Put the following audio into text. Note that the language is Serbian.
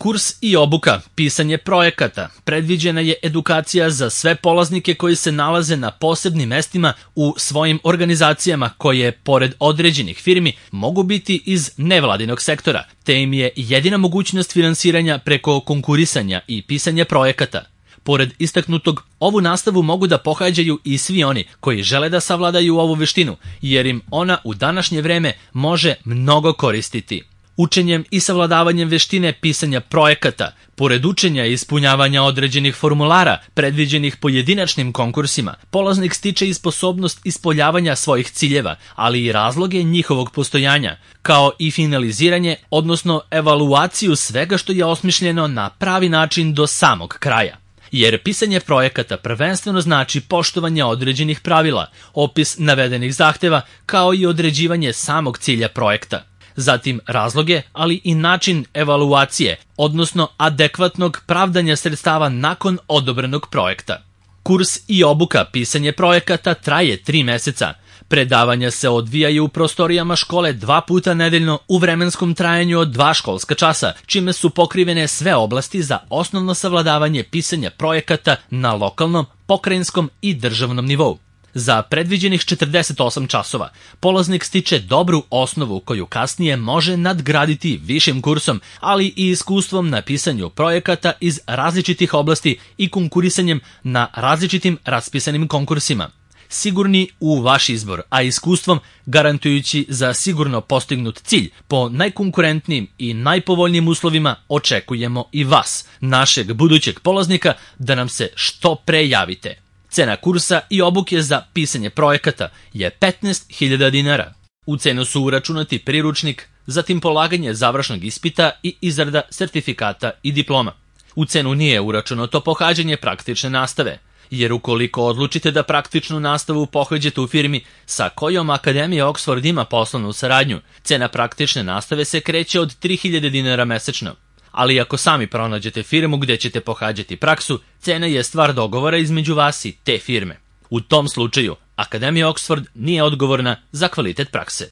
Kurs i obuka, pisanje projekata, predviđena je edukacija za sve polaznike koji se nalaze na posebnim mestima u svojim organizacijama koje, pored određenih firmi, mogu biti iz nevladinog sektora, te im je jedina mogućnost finansiranja preko konkurisanja i pisanja projekata. Pored istaknutog, ovu nastavu mogu da pohađaju i svi oni koji žele da savladaju ovu veštinu, jer im ona u današnje vreme može mnogo koristiti. Učenjem i savladavanjem veštine pisanja projekata, pored učenja i ispunjavanja određenih formulara predviđenih pojedinačnim konkursima, polaznik stiče i sposobnost ispoljavanja svojih ciljeva, ali i razloge njihovog postojanja, kao i finaliziranje, odnosno evaluaciju svega što je osmišljeno na pravi način do samog kraja. Jer pisanje projekata prvenstveno znači poštovanje određenih pravila, opis navedenih zahteva, kao i određivanje samog cilja projekta. Zatim razloge, ali i način evaluacije, odnosno adekvatnog pravdanja sredstava nakon odobrenog projekta. Kurs i obuka pisanje projekata traje 3 meseca. Predavanja se odvijaju u prostorijama škole 2 puta nedeljno u vremenskom trajanju od 2 školska časa, čime su pokrivene sve oblasti za osnovno savladavanje pisanja projekata na lokalnom, pokrajinskom i državnom nivou. Za predviđenih 48 časova polaznik stiče dobru osnovu koju kasnije može nadgraditi višim kursom, ali i iskustvom na pisanju projekata iz različitih oblasti i konkurisanjem na različitim raspisanim konkursima. Sigurni u vaš izbor, a iskustvom garantujući za sigurno postignut cilj po najkonkurentnijim i najpovoljnijim uslovima očekujemo i vas, našeg budućeg polaznika, da nam se što pre javite. Cena kursa i obuke za pisanje projekata je 15.000 dinara. U cenu su uračunati priručnik, zatim polaganje završnog ispita i izrada sertifikata i diploma. U cenu nije uračunato pohađanje praktične nastave, jer ukoliko odlučite da praktičnu nastavu pohađate u firmi sa kojom Akademija Oxford ima poslovnu saradnju, cena praktične nastave se kreće od 3.000 dinara mesečno. Ali ako sami pronađete firmu gdje ćete pohađati praksu, cena je stvar dogovora između vas i te firme. U tom slučaju, Akademija Oxford nije odgovorna za kvalitet prakse.